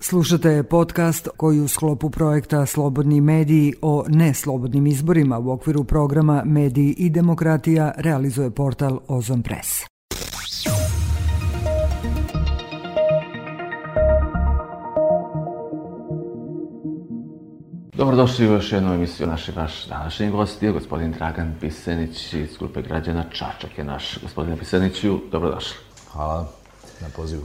Slušate podcast koji u sklopu projekta Slobodni mediji o neslobodnim izborima u okviru programa Mediji i demokratija realizuje portal Ozon Press. Dobrodošli u još jednu emisiju. Vaš današnji gost je gospodin Dragan Pisenić iz grupe građana Čačak je naš. Gospodine Piseniću, dobrodošli. Hvala na pozivu.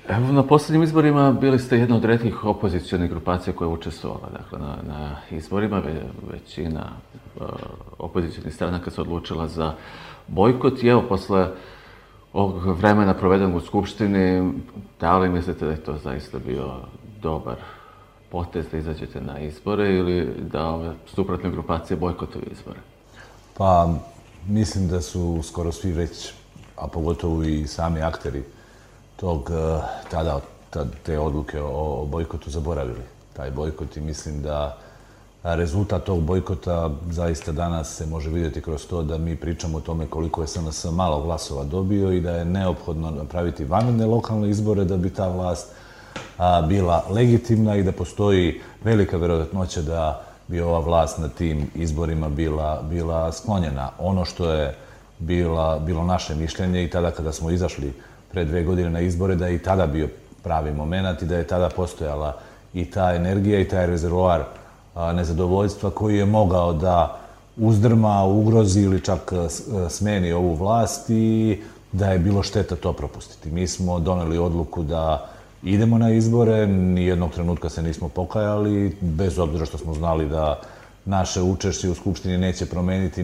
Evo, na posljednjim izborima bili ste jedna od retkih opozicionih grupacija koja je učestvovala. Dakle, na izborima većina opozicionih stranaka se odlučila za bojkot. I evo, posle ovog vremena provedenog u Skupštini, da li mislite da je to zaista bio dobar potez da izađete na izbore ili da ove suprotne grupacije bojkotuju izbore? Pa, mislim da su skoro svi već, a pogotovo i sami akteri te odluke o bojkotu zaboravili. Taj bojkot i mislim da rezultat tog bojkota zaista danas se može vidjeti kroz to da mi pričamo o tome koliko je SNS malo glasova dobio i da je neophodno napraviti vanredne lokalne izbore da bi ta vlast bila legitimna i da postoji velika vjerojatnoća da bi ova vlast na tim izborima bila sklonjena. Ono što je bilo naše mišljenje i tada kada smo izašli pre 2 godine na izbore, da je i tada bio pravi moment i da je tada postojala i ta energija i taj rezervoar nezadovoljstva koji je mogao da uzdrma, ugrozi ili čak smeni ovu vlast i da je bilo šteta to propustiti. Mi smo doneli odluku da idemo na izbore, nijednog trenutka se nismo pokajali, bez obzira što smo znali da naše učešće u Skupštini neće promeniti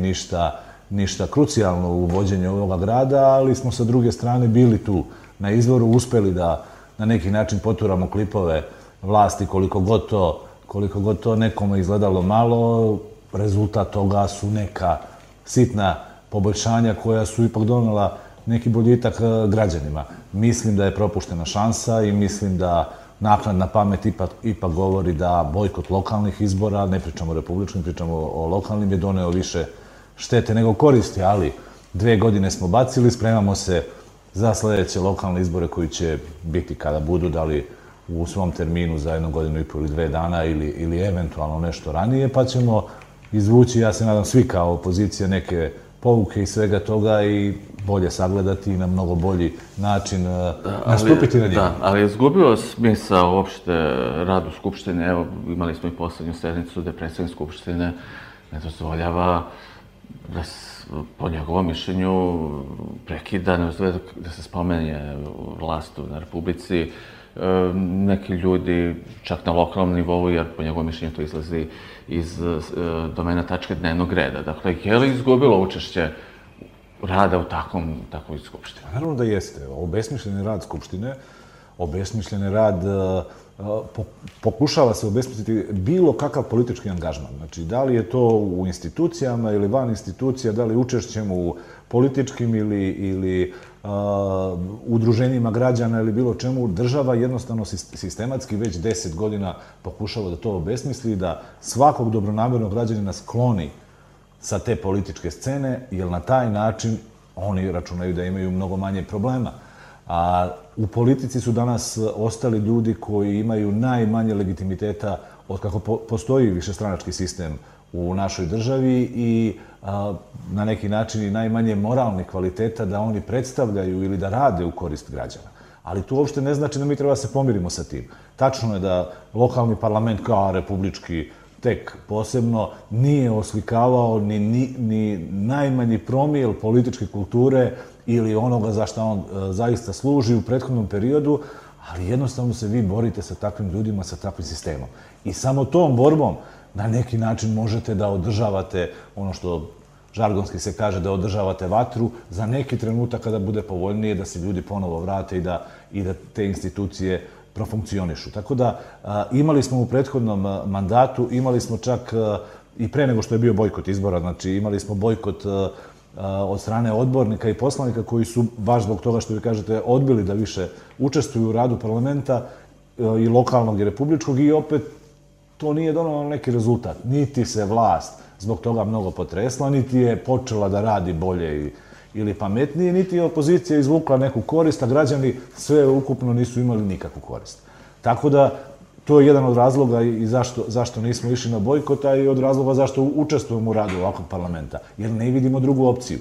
ništa krucijalno u vođenju ovoga grada, ali smo sa druge strane bili tu na izboru, uspeli da na neki način poturamo klipove vlasti koliko god to nekome izgledalo malo. Rezultat toga su neka sitna poboljšanja koja su ipak donela neki boljitak građanima. Mislim da je propuštena šansa i mislim da naknadna pamet ipak govori da bojkot lokalnih izbora, ne pričamo o republičkim, pričamo o lokalnim, je doneo više štete nego koristi, ali 2 godine smo bacili, spremamo se za sljedeće lokalne izbore koji će biti kada budu, da li u svom terminu za 1 godinu i pol ili 2 dana ili eventualno nešto ranije, pa ćemo izvući, ja se nadam svi kao opozicija, neke pouke i svega toga i bolje sagledati i na mnogo bolji način nastupiti na njegu. Da, ali je izgubio smisao uopšte rad u Skupštine. Evo, imali smo i poslednju sednicu gde predsjednik Skupštine ne dozvoljava da po njegovom mišljenju prekida, ne dozvoljava da se spomene vlast na Republici. Neki ljudi, čak na lokalnom nivou, jer po njegovom mišljenju to izlazi iz domena tačke dnevnog reda. Dakle, je li izgubilo učešće rada u takvoj Skupštini? Naravno da jeste. Obesmišljeni rad Skupštine, obesmišljeni rad, pokušava se obesmisliti bilo kakav politički angažman. Znači, da li je to u institucijama ili van institucija, da li učešćem u političkim ili udruženjima građana ili bilo čemu, država jednostavno sistematski već 10 godina pokušava da to obesmisli i da svakog dobronamernog građanina skloni sa te političke scene, jer na taj način oni računaju da imaju mnogo manje problema. A u politici su danas ostali ljudi koji imaju najmanje legitimiteta od kako postoji višestranački sistem u našoj državi i na neki način i najmanje moralnih kvaliteta da oni predstavljaju ili da rade u korist građana. Ali to uopšte ne znači da mi treba se pomirimo sa tim. Tačno je da lokalni parlament kao republički tek posebno nije oslikavao ni najmanji promil političke kulture ili onoga za što on zaista služi u prethodnom periodu, ali jednostavno se vi borite sa takvim ljudima, sa takvim sistemom. I samo tom borbom na neki način možete da održavate ono što žargonski se kaže, da održavate vatru za neki trenutak kada bude povoljnije da se ljudi ponovo vrate i da te institucije profunkcionišu. Tako da imali smo u prethodnom mandatu, imali smo čak i pre nego što je bio bojkot izbora, znači imali smo bojkot od strane odbornika i poslanika koji su, baš zbog toga što vi kažete, odbili da više učestvuju u radu parlamenta i lokalnog i republičkog i opet to nije donalo neki rezultat. Niti se vlast zbog toga mnogo potresla, niti je počela da radi bolje ili pametnije, niti je opozicija izvukla neku korist, a građani sve ukupno nisu imali nikakvu korist. Tako da, to je jedan od razloga i zašto nismo išli na bojkot, a i od razloga zašto učestvujemo u radu ovakvog parlamenta. Jer ne vidimo drugu opciju.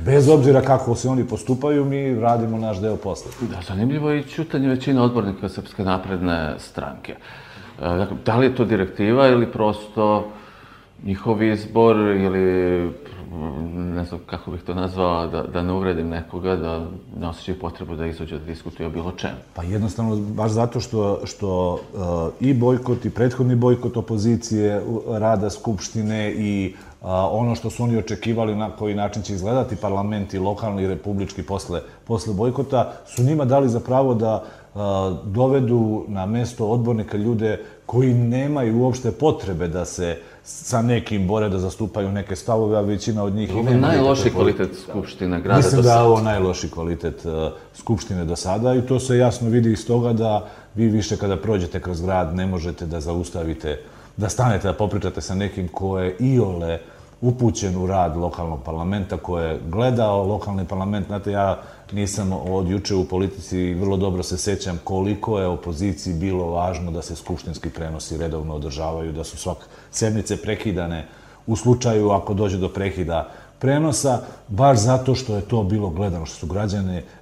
Bez obzira kako se oni postupaju, mi radimo naš deo posla. Da, zanimljivo je i ćutanje većine odbornika Srpske napredne stranke. Dakle, da li je to direktiva ili prosto njihov izbor ili, ne znam kako bih to nazvao, da ne uvredim nekoga, da ne osjećaju potrebu da izađe da diskutuje o bilo čemu? Pa jednostavno, baš zato što i bojkot i prethodni bojkot opozicije, rada Skupštine i ono što su oni očekivali na koji način će izgledati parlament i lokalni i republički posle bojkota, su njima dali za pravo da dovedu na mesto odbornika ljude koji nemaju uopšte potrebe da se sa nekim bore, da zastupaju neke stavove, a većina od njih... Ovo je najlošiji kvalitet Skupštine grada do sada. Mislim da je ovo najlošiji kvalitet Skupštine do sada i to se jasno vidi iz toga da vi više kada prođete kroz grad ne možete da zaustavite, da stanete, da popričate sa nekim ko je iole upućen u rad lokalnog parlamenta, ko je gledao lokalni parlament. Znate, ja nisam od juče u politici i vrlo dobro se sećam koliko je opoziciji bilo važno da se skupštinski prenosi redovno održavaju, da su sednice prekidane u slučaju ako dođe do prekida prenosa, baš zato što je to bilo gledano, što su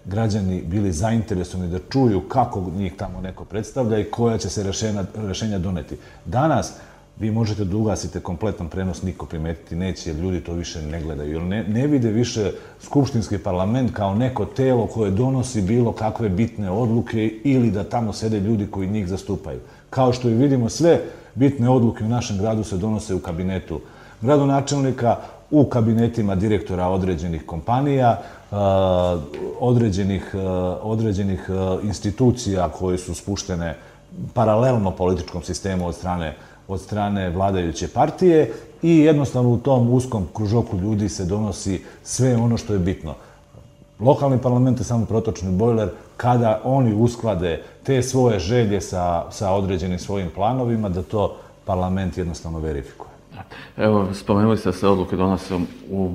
građani bili zainteresovani da čuju kako njih tamo neko predstavlja i koja će se rešenja doneti. Danas vi možete da ugasite kompletan prenos, niko primetiti neće, jer ljudi to više ne gledaju. Jer ne vide više skupštinski parlament kao neko telo koje donosi bilo kakve bitne odluke ili da tamo sede ljudi koji njih zastupaju. Kao što i vidimo, sve bitne odluke u našem gradu se donose u kabinetu gradonačelnika, u kabinetima direktora određenih kompanija, određenih institucija koje su spuštene paralelno političkom sistemu od strane vladajuće partije i jednostavno u tom uskom kružoku ljudi se donosi sve ono što je bitno. Lokalni parlament je samo protočni bojler kada oni usklade te svoje želje sa određenim svojim planovima, da to parlament jednostavno verifikuje. Evo, spomenuli ste da se odluke donose u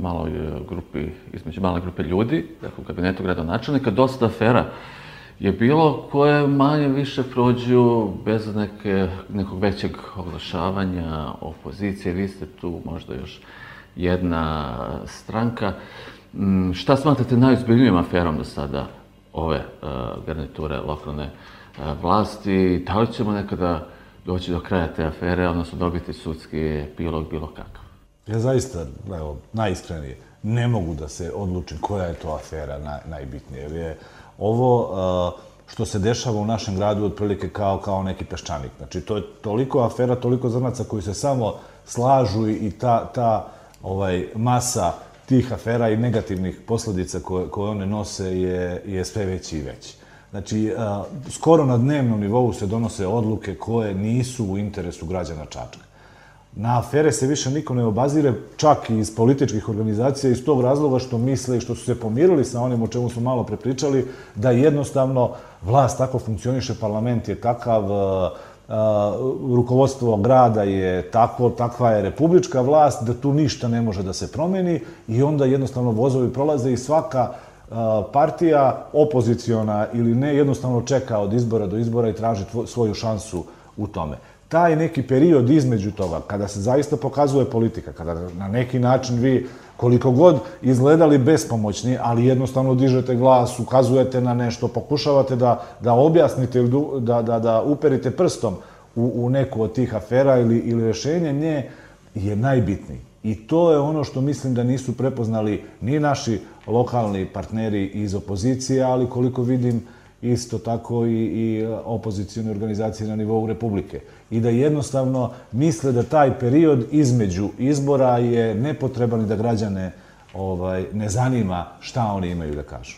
maloj grupi, između male grupe ljudi, dakle u kabinetu gradonačelnika. Dosta afera je bilo koje manje više prođu bez nekog većeg oglašavanja opozicije. Vi ste tu možda još jedna stranka. Šta smatrate najozbiljnijom aferom do sada ove garniture lokalne vlasti? Da li ćemo nekada doći do kraja te afere, odnosno dobiti sudski epilog bilo kakav? Ja zaista, evo, najiskrenije, ne mogu da se odlučim koja je to afera najbitnija. Jer je ovo što se dešava u našem gradu otprilike kao neki peščanik. Znači, to je toliko afera, toliko zrnaca koji se samo slažu i ta masa tih afera i negativnih posledica koje one nose je sve veći i veći. Znači, skoro na dnevnom nivou se donose odluke koje nisu u interesu građana Čačka. Na afere se više niko ne obazire, čak i iz političkih organizacija, iz tog razloga što misle i što su se pomirili sa onim o čemu smo malo prepričali, da jednostavno vlast tako funkcioniše, parlament je takav, rukovodstvo grada je takvo, takva je republička vlast, da tu ništa ne može da se promeni i onda jednostavno vozovi prolaze i svaka partija, opoziciona ili ne, jednostavno čeka od izbora do izbora i traži svoju šansu u tome. Taj neki period između toga, kada se zaista pokazuje politika, kada na neki način vi, koliko god izgledali bespomoćni, ali jednostavno dižete glas, ukazujete na nešto, pokušavate da objasnite ili da uperite prstom u neku od tih afera ili rešenje, nje je najbitniji. I to je ono što mislim da nisu prepoznali ni naši lokalni partneri iz opozicije, ali koliko vidim isto tako i opozicijone organizacije na nivou Republike. I da jednostavno misle da taj period između izbora je nepotreban i da građane ne zanima šta oni imaju da kažu.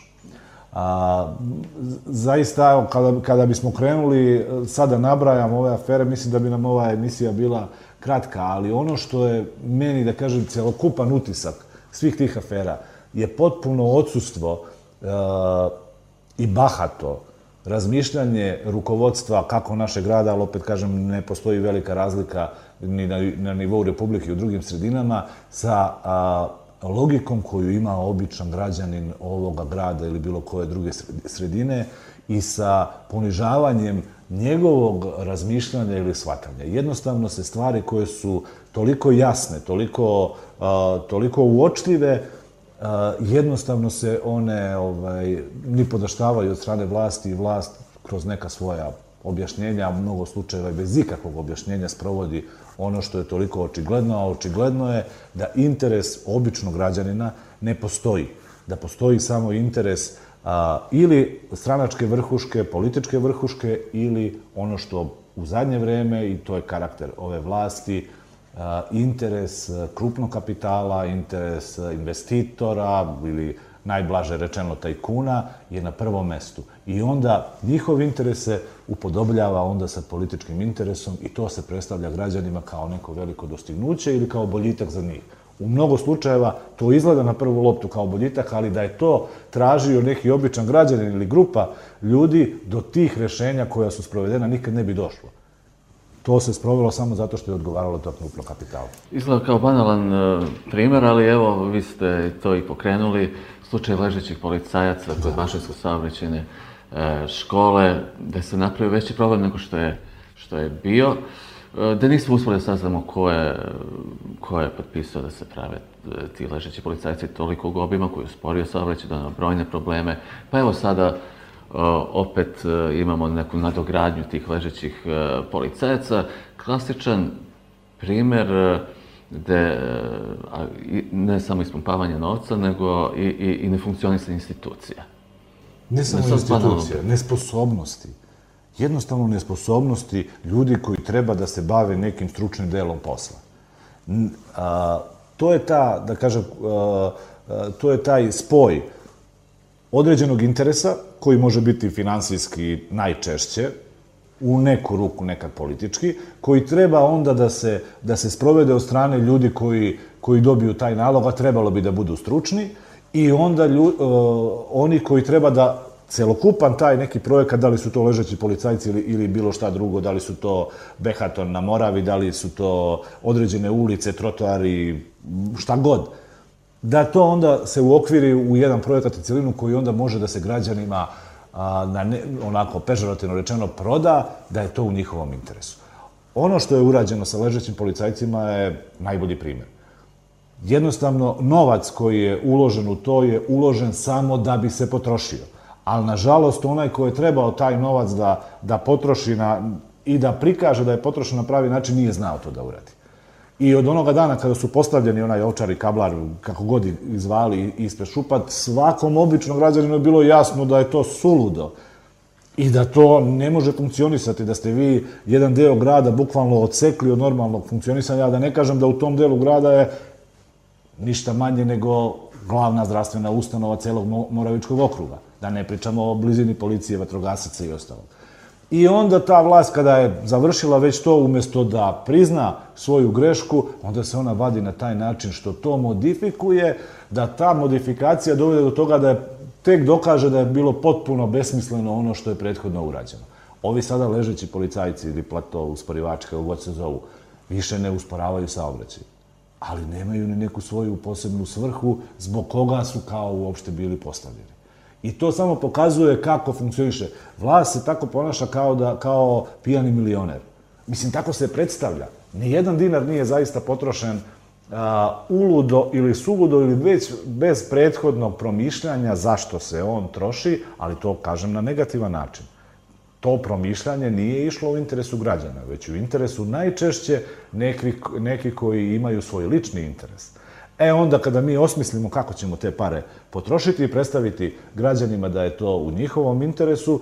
Zaista, kada bismo krenuli, sada nabrajam ove afere, mislim da bi nam ova emisija bila kratka, ali ono što je meni, da kažem, celokupan utisak svih tih afera je potpuno odsustvo i bahato razmišljanje rukovodstva kako našeg grada, ali opet kažem, ne postoji velika razlika ni na nivou Republike i u drugim sredinama, sa logikom koju ima običan građanin ovoga grada ili bilo koje druge sredine i sa ponižavanjem njegovog razmišljanja ili shvatanja. Jednostavno se stvari koje su toliko jasne, toliko uočljive, jednostavno se one nipodaštavaju od strane vlasti i vlast kroz neka svoja objašnjenja, u mnogo slučajeva i bez ikakvog objašnjenja sprovodi ono što je toliko očigledno, a očigledno je da interes običnog građanina ne postoji. Da postoji samo interes ili stranačke vrhuške, političke vrhuške ili ono što u zadnje vreme, i to je karakter ove vlasti, interes krupnog kapitala, interes investitora ili najblaže rečeno tajkuna je na prvom mestu. I onda njihov interes se upodobljava onda sa političkim interesom i to se predstavlja građanima kao neko veliko dostignuće ili kao boljitak za njih. U mnogo slučajeva to izgleda na prvu loptu kao boljitak, ali da je to tražio neki običan građanin ili grupa ljudi, do tih rešenja koja su sprovedena nikad ne bi došlo. To se sprovelo samo zato što je odgovaralo to krupno kapitalu. Izgleda kao banalan primer, ali evo, vi ste to i pokrenuli. Slučaj ležećih policajaca kod Mašinsko-saobraćajne škole, da se napravio veći problem nego što je bio, da nismo uspeli da saznamo ko je potpisao da se prave ti ležeći policajci tolikog obima koji je usporio saobraćaj, doneo brojne probleme. Pa evo sada opet imamo neku nadogradnju tih ležećih policajaca. Klasičan primer gde ne samo ispumpavanje novca, nego i nefunkcionisanje institucija. Ne samo institucija, nesposobnosti. Jednostavno nesposobnosti ljudi koji treba da se bave nekim stručnim delom posla. To je ta, da kažem, to je taj spoj određenog interesa, koji može biti finansijski najčešće, u neku ruku nekad politički, koji treba onda da se sprovede od strane ljudi koji dobiju taj nalog, a trebalo bi da budu stručni, i onda oni koji treba da celokupan taj neki projekat, da li su to ležeći policajci ili bilo šta drugo, da li su to Behaton na Moravi, da li su to određene ulice, trotoari, šta god, da to onda se uokviri u jedan projekat i celinu koji onda može da se građanima onako pežorativno rečeno proda, da je to u njihovom interesu. Ono što je urađeno sa ležećim policajcima je najbolji primjer. Jednostavno, novac koji je uložen u to je uložen samo da bi se potrošio. Ali, nažalost, onaj ko je trebao taj novac da potroši i da prikaže da je potrošen na pravi način, nije znao to da uradi. I od onoga dana kada su postavljeni onaj Ovčar i Kablar, kako god ih zvali, ispred Šupat, svakom običnom građaninu je bilo jasno da je to suludo i da to ne može funkcionisati, da ste vi jedan deo grada bukvalno odsekli od normalnog funkcionisanja, da ne kažem da u tom delu grada je ništa manje nego glavna zdravstvena ustanova celog Moravičkog okruga. Da ne pričamo o blizini policije, vatrogasaca i ostalog. I onda ta vlast, kada je završila već to, umjesto da prizna svoju grešku, onda se ona vadi na taj način što to modifikuje, da ta modifikacija dovede do toga da je tek dokaže da je bilo potpuno besmisleno ono što je prethodno urađeno. Ovi sada ležeći policajci ili plato usporivači, kako god se zovu, više ne usporavaju saobraćaj, ali nemaju ni neku svoju posebnu svrhu zbog koga su kao uopšte bili postavljeni. I to samo pokazuje kako funkcioniše. Vlast se tako ponaša kao pijani milioner. Mislim, tako se predstavlja. Nijedan dinar nije zaista potrošen uludo ili suludo ili već bez prethodnog promišljanja zašto se on troši, ali to kažem na negativan način. To promišljanje nije išlo u interesu građana, već u interesu najčešće neki koji imaju svoj lični interes. Onda kada mi osmislimo kako ćemo te pare potrošiti i predstaviti građanima da je to u njihovom interesu,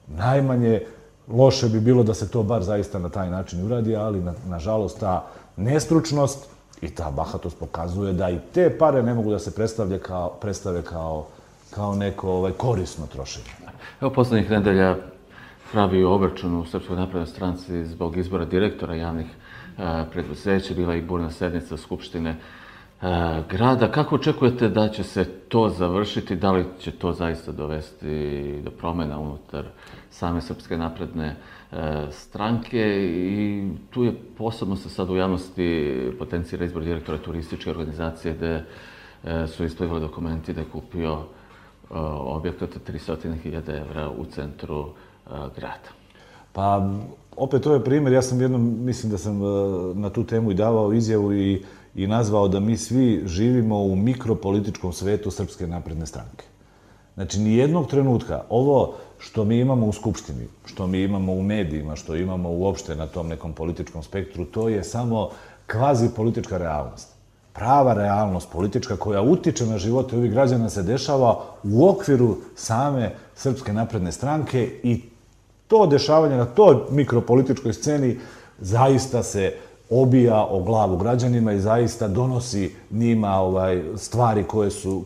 najmanje loše bi bilo da se to bar zaista na taj način uradi, ali nažalost ta nestručnost i ta bahatost pokazuje da i te pare ne mogu da se predstave kao neko korisno trošenje. Evo, poslednjih nedelja pravi obračun u Srpskoj naprednoj stranci zbog izbora direktora javnih preduzeća, bila i burna sednica Skupštine grada. Kako očekujete da će se to završiti? Da li će to zaista dovesti do promjena unutar same Srpske napredne stranke? I tu je posebno se sad u javnosti potencira izbor direktora turističke organizacije gde su isplivali dokumenti da je kupio objekt od 300.000 evra u centru grada. Pa, opet to je primjer, ja sam jednom, mislim da sam na tu temu i davao izjavu i nazvao da mi svi živimo u mikropolitičkom svetu Srpske napredne stranke. Znači, nijednog trenutka ovo što mi imamo u Skupštini, što mi imamo u medijima, što imamo uopšte na tom nekom političkom spektru, to je samo kvazi politička realnost. Prava realnost politička koja utiče na živote ovih građana se dešava u okviru same Srpske napredne stranke i to dešavanje na toj mikropolitičkoj sceni zaista se obija o glavu građanima i zaista donosi njima stvari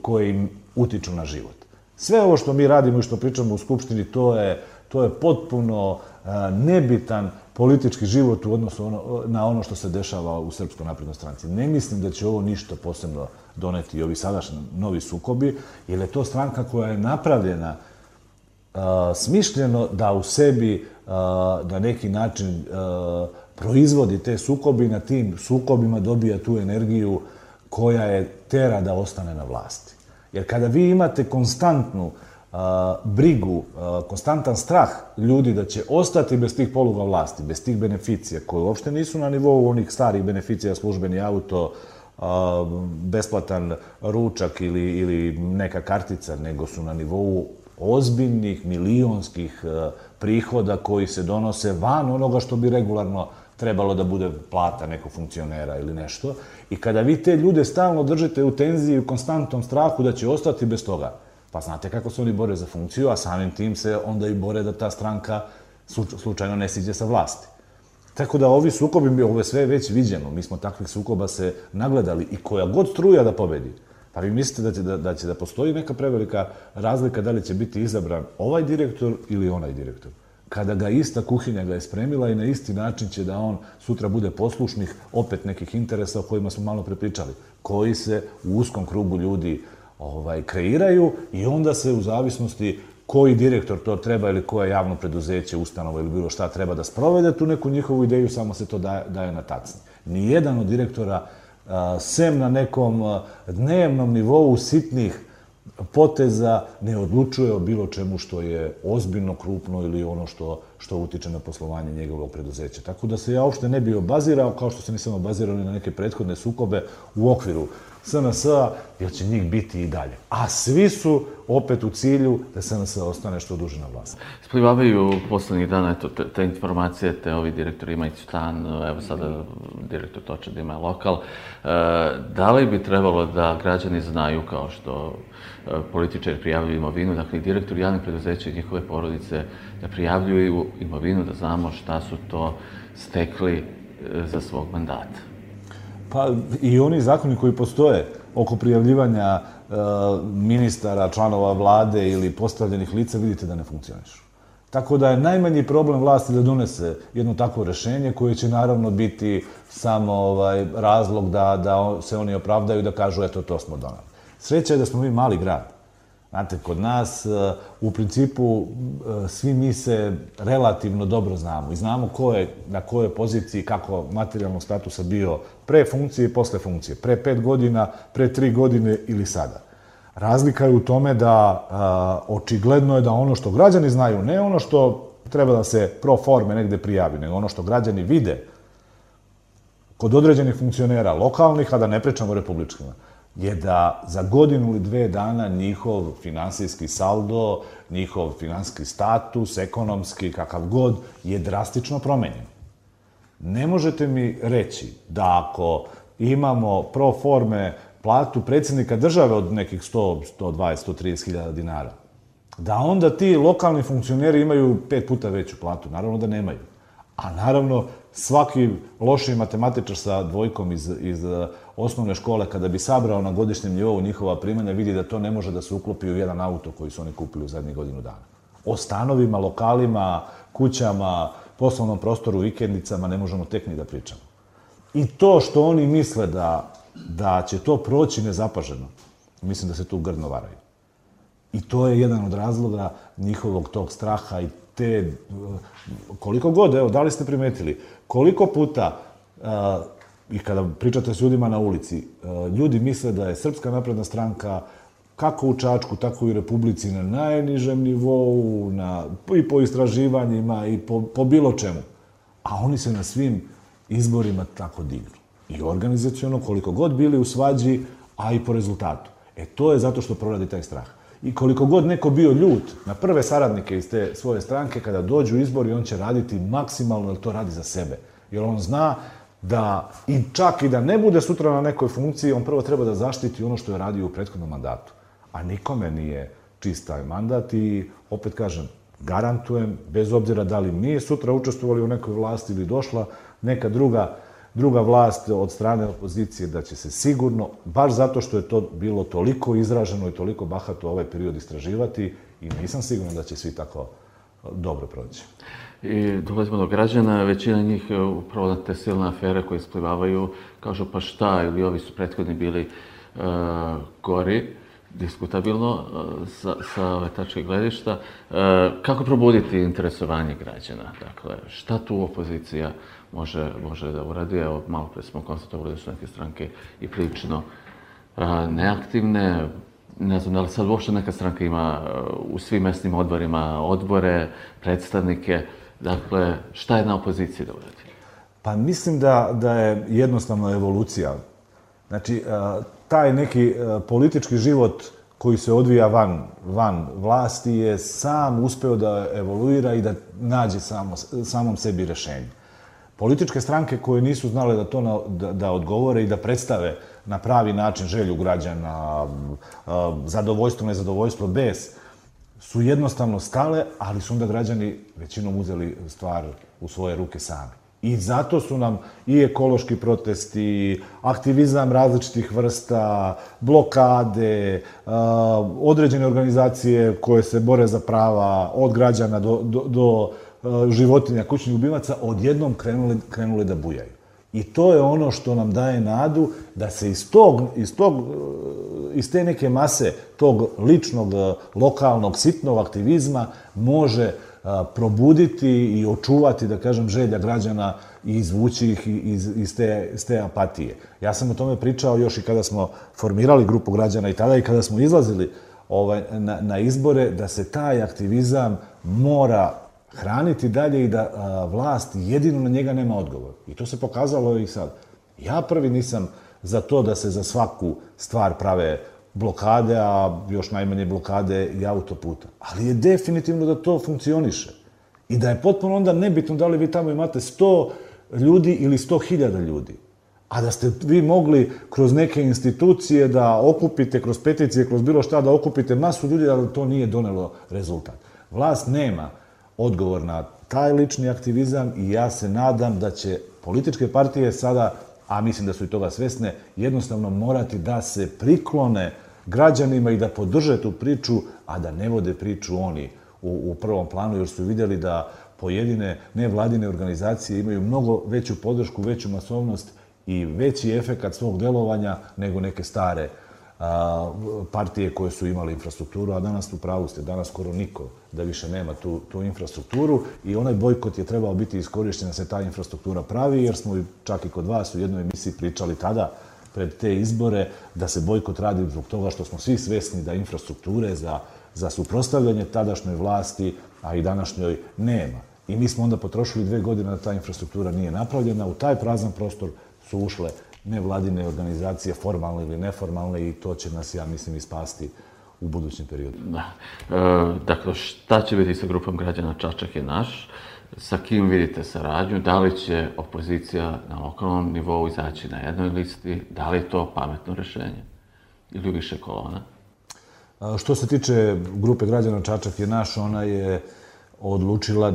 koje im utiču na život. Sve ovo što mi radimo i što pričamo u Skupštini, to je potpuno nebitan politički život u odnosu na ono što se dešava u Srpskoj naprednoj stranci. Ne mislim da će ovo ništa posebno doneti ovi sadašnji novi sukobi, jer je to stranka koja je napravljena smišljeno da u sebi na neki način proizvodi te sukobi, na tim sukobima dobija tu energiju koja je tera da ostane na vlasti. Jer kada vi imate konstantnu brigu, konstantan strah ljudi da će ostati bez tih poluga vlasti, bez tih beneficija, koje uopšte nisu na nivou onih starih beneficija, službeni auto, besplatan ručak ili neka kartica, nego su na nivou ozbiljnih, milionskih prihoda koji se donose van onoga što bi regularno trebalo da bude plata nekog funkcionera ili nešto. I kada vi te ljude stalno držite u tenziji, u konstantnom strahu da će ostati bez toga, pa znate kako se oni bore za funkciju, a samim tim se onda i bore da ta stranka slučajno ne siđe sa vlasti. Tako da ovi sukobi, ovo je sve već viđeno, mi smo takvih sukoba se nagledali i koja god struja da pobedi. Pa vi mislite da će da postoji neka prevelika razlika da li će biti izabran ovaj direktor ili onaj direktor? Kada ga ista kuhinja ga je spremila i na isti način će da on sutra bude poslušnih opet nekih interesa o kojima smo malo prepričali, koji se u uskom krugu ljudi kreiraju i onda se u zavisnosti koji direktor to treba ili koje javno preduzeće, ustanova ili bilo šta treba da sprovede tu neku njihovu ideju, samo se to daje na tacni. Nijedan od direktora, sem na nekom dnevnom nivou sitnih poteza, ne odlučuje o bilo čemu što je ozbiljno, krupno ili ono što utiče na poslovanje njegovog preduzeća. Tako da se ja uopšte ne bi obazirao, kao što se nisam obazirao ni na neke prethodne sukobe u okviru SNS-a, jer će njih biti i dalje. A svi su opet u cilju da SNS ostane što duže na vlasti. Splivavaju poslednjih dana te informacije, te ovi direktori imaju stan, evo sada direktor Toča da ima lokal. Da li bi trebalo da građani znaju, kao što političari prijavljuju imovinu, dakle, direktori javnih preduzeća i njihove porodice da prijavljuju imovinu, da znamo šta su to stekli za svog mandata? Pa i oni zakoni koji postoje oko prijavljivanja ministara, članova vlade ili postavljenih lica, vidite da ne funkcionišu. Tako da je najmanji problem vlasti da donese jedno takvo rešenje koje će naravno biti samo razlog da se oni opravdaju i da kažu eto to smo donali. Sreća je da smo mi mali grad. Znate, kod nas u principu svi mi se relativno dobro znamo i znamo ko je na kojoj poziciji, kako materijalnog statusa bio pre funkcije i posle funkcije, pre 5 godina, pre 3 godine ili sada. Razlika je u tome da očigledno je da ono što građani znaju, ne ono što treba da se pro forme negde prijavi, nego ono što građani vide kod određenih funkcionera lokalnih, a da ne pričamo o republičkima, je da za godinu ili 2 dana njihov finansijski saldo, njihov finansijski status, ekonomski, kakav god, je drastično promenjen. Ne možete mi reći da ako imamo pro forme platu predsjednika države od nekih 100, 120, 130 hiljada dinara, da onda ti lokalni funkcioneri imaju 5 puta veću platu. Naravno da nemaju. A naravno, svaki loši matematičar sa dvojkom iz osnovne škole, kada bi sabrao na godišnjem nivou njihova primanja, vidi da to ne može da se uklopi u jedan auto koji su oni kupili u zadnjih godinu dana. O stanovima, lokalima, kućama, poslovnom prostoru, vikendicama ne možemo tek ni da pričamo. I to što oni misle da će to proći nezapaženo, mislim da se tu grdno varaju. I to je jedan od razloga njihovog tog straha i te, koliko god, evo, da li ste primetili, koliko puta, i kada pričate s ljudima na ulici, ljudi misle da je Srpska napredna stranka kako u Čačku, tako i u Republici na najnižem nivou, i po istraživanjima, i po bilo čemu. A oni se na svim izborima tako dignu. I organizaciono, koliko god bili u svađi, a i po rezultatu. To je zato što proradi taj strah. I koliko god neko bio ljut na prve saradnike iz te svoje stranke, kada dođu izbori, on će raditi maksimalno, jer to radi za sebe. Jer on zna da, i čak i da ne bude sutra na nekoj funkciji, on prvo treba da zaštiti ono što je radio u prethodnom mandatu. A nikome nije čist taj mandat i, opet kažem, garantujem, bez obzira da li mi sutra učestvovali u nekoj vlasti ili došla neka druga vlast od strane opozicije, da će se sigurno, baš zato što je to bilo toliko izraženo i toliko bahato ovaj period istraživati, i nisam siguran da će svi tako dobro proći. I dolazimo do građana, većina njih upravo na te silne afere koje isplivavaju, kažu pa šta, ili ovi su prethodni bili gori, diskutabilno sa ove tačke gledišta. Kako probuditi interesovanje građana? Dakle, šta tu opozicija može da uradi? Evo, malo pre smo konstatovali da su neke stranke i prilično neaktivne. Ne znam da li sad uopšte neka stranka ima u svim mesnim odborima odbore, predstavnike. Dakle, šta je na opoziciji da uradi? Pa mislim da je jednostavno evolucija. Znači, taj neki politički život koji se odvija van vlasti je sam uspeo da evoluira i da nađe samom sebi rešenje. Političke stranke koje nisu znale da to da odgovore i da predstave na pravi način želju građana, zadovoljstvo, nezadovoljstvo, bes, su jednostavno stale, ali su onda građani većinom uzeli stvar u svoje ruke sami. I zato su nam i ekološki protesti, aktivizam različitih vrsta, blokade, određene organizacije koje se bore za prava od građana do životinja, kućnih ljubimaca, odjednom krenuli da bujaju. I to je ono što nam daje nadu da se iz te neke mase tog ličnog, lokalnog, sitnog aktivizma može probuditi i očuvati, da kažem, želja građana i izvući ih iz te apatije. Ja sam o tome pričao još i kada smo formirali grupu građana i tada i kada smo izlazili na izbore, da se taj aktivizam mora hraniti dalje i da vlast jedino na njega nema odgovor. I to se pokazalo i sad. Ja prvi nisam za to da se za svaku stvar prave blokade, a još najmanje blokade i autoputa. Ali je definitivno da to funkcioniše. I da je potpuno onda nebitno da li vi tamo imate 100 ljudi ili 100.000 ljudi. A da ste vi mogli kroz neke institucije da okupite, kroz peticije, kroz bilo šta, da okupite masu ljudi, ali to nije donelo rezultat. Vlast nema odgovor na taj lični aktivizam i ja se nadam da će političke partije sada, a mislim da su i toga svesne, jednostavno morati da se priklone građanima i da podrže tu priču, a da ne vode priču oni u prvom planu, jer su vidjeli da pojedine nevladine organizacije imaju mnogo veću podršku, veću masovnost i veći efekat svog delovanja nego neke stare partije koje su imali infrastrukturu, a danas u pravu ste, danas skoro niko da više nema tu infrastrukturu i onaj bojkot je trebao biti iskorišten da se ta infrastruktura pravi, jer smo čak i kod vas u jednoj emisiji pričali tada pred te izbore da se bojkot radi zbog toga što smo svi svesni da infrastrukture za suprotstavljanje tadašnjoj vlasti, a i današnjoj, nema. I mi smo onda potrošili 2 godine da ta infrastruktura nije napravljena. U taj prazan prostor su ušle nevladine organizacije, formalne ili neformalne, i to će nas, ja mislim, ispasti u budućem periodu. Da. Dakle, šta će biti sa grupom građana Čačak je naš? Sa kim vidite saradnju? Da li će opozicija na lokalnom nivou izaći na jednoj listi? Da li je to pametno rešenje? Ili više kolona? Što se tiče grupe građana Čačak je naš, ona je odlučila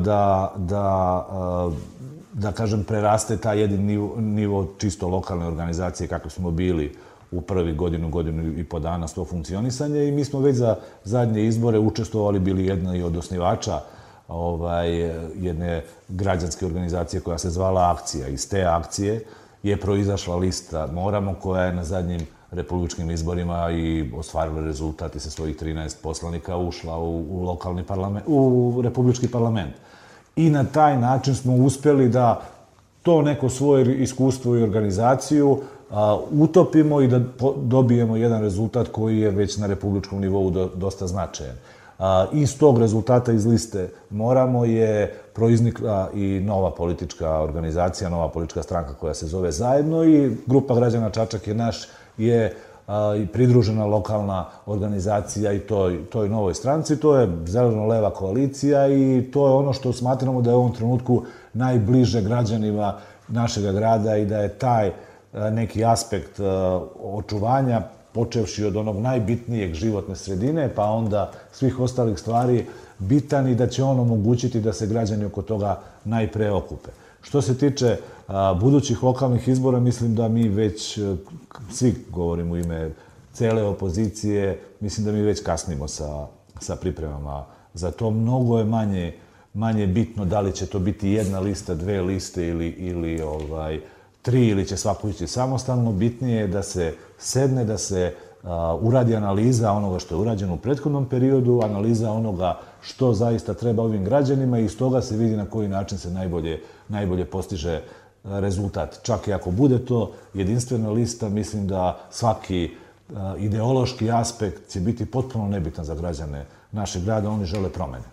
da kažem, preraste taj jedin nivo čisto lokalne organizacije kako smo bili u prvi godinu i po dana s to funkcionisanje, i mi smo već za zadnje izbore učestvovali, bili jedna i od osnivača jedne građanske organizacije koja se zvala Akcija. Iz te akcije je proizašla lista Moramo, koja je na zadnjim republičkim izborima i ostvarila rezultat i sa svojih 13 poslanika ušla u lokalni parlament, u republički parlament. I na taj način smo uspjeli da to neko svoje iskustvo i organizaciju utopimo i da dobijemo jedan rezultat koji je već na republičkom nivou dosta značajan. Iz tog rezultata iz liste Moramo je proiznikla i nova politička organizacija, nova politička stranka koja se zove Zajedno i grupa građana Čačak je naš je i pridružena lokalna organizacija i toj novoj stranci. To je zeleno-leva koalicija i to je ono što smatramo da je u ovom trenutku najbliže građanima našeg grada i da je taj neki aspekt očuvanja, počevši od onog najbitnijeg životne sredine, pa onda svih ostalih stvari, bitan i da će on omogućiti da se građani oko toga najpre okupe. Što se tiče budućih lokalnih izbora, mislim da mi već, svi govorimo u ime cele opozicije, mislim da mi već kasnimo sa pripremama za to. Mnogo je manje bitno da li će to biti jedna lista, dve liste ili tri ili će svako ići samostalno. Bitnije je da se sedne, da se uradi analiza onoga što je urađeno u prethodnom periodu, analiza onoga što zaista treba ovim građanima i iz toga se vidi na koji način se najbolje postiže rezultat. Čak i ako bude to jedinstvena lista, mislim da svaki ideološki aspekt će biti potpuno nebitan za građane našeg grada, oni žele promene.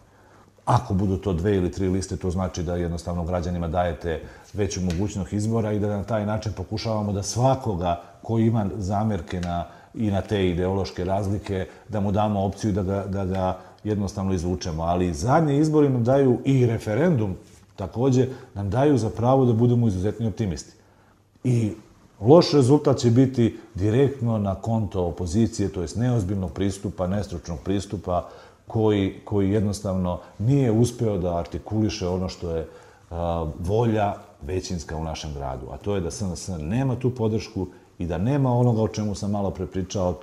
Ako budu to 2 ili 3 liste, to znači da jednostavno građanima dajete veću mogućnost izbora i da na taj način pokušavamo da svakoga ko ima zamerke i na te ideološke razlike, da mu damo opciju da ga jednostavno izvučemo. Ali zadnji izbori nam daju i referendum, takođe, nam daju za pravo da budemo izuzetni optimisti. I loš rezultat će biti direktno na konto opozicije, to jest neozbiljnog pristupa, nestručnog pristupa, koji jednostavno nije uspeo da artikuliše ono što je volja većinska u našem gradu. A to je da SNS nema tu podršku i da nema onoga o čemu sam malo prepričao,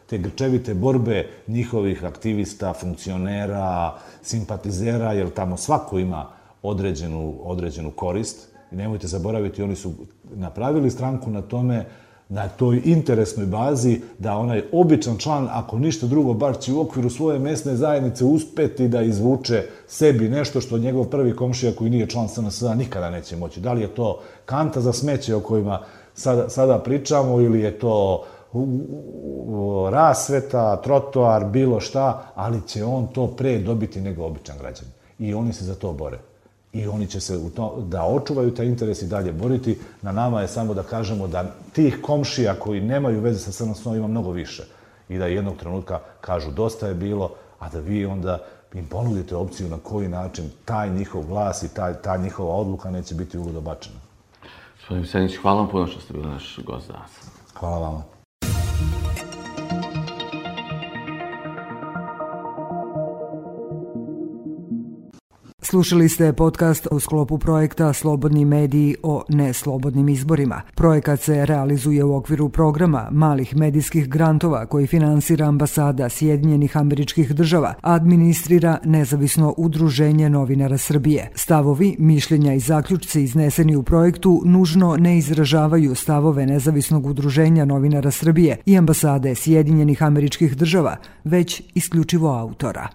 te grčevite borbe njihovih aktivista, funkcionera, simpatizera, jer tamo svako ima određenu korist. I nemojte zaboraviti, oni su napravili stranku na tome, na toj interesnoj bazi, da onaj običan član, ako ništa drugo, bar će u okviru svoje mesne zajednice uspeti da izvuče sebi nešto što njegov prvi komšija koji nije član SNS-a nikada neće moći. Da li je to kanta za smeće o kojima sada pričamo ili je to rasveta, trotoar, bilo šta, ali će on to pre dobiti nego običan građan. I oni se za to bore. I oni će se da očuvaju taj interes i dalje boriti. Na nama je samo da kažemo da tih komšija koji nemaju veze sa SNS-om ima mnogo više. I da jednog trenutka kažu dosta je bilo, a da vi onda im ponudite opciju na koji način taj njihov glas i ta njihova odluka neće biti uludo bačena. Gospodin Visenić, hvala vam puno što ste bili naš gost danas. Hvala vama. Slušali ste podcast u sklopu projekta Slobodni mediji o neslobodnim izborima. Projekat se realizuje u okviru programa malih medijskih grantova koji finansira Ambasada Sjedinjenih Američkih Država, a administrira Nezavisno udruženje novinara Srbije. Stavovi, mišljenja i zaključci izneseni u projektu nužno ne izražavaju stavove Nezavisnog udruženja novinara Srbije i Ambasade Sjedinjenih Američkih Država, već isključivo autora.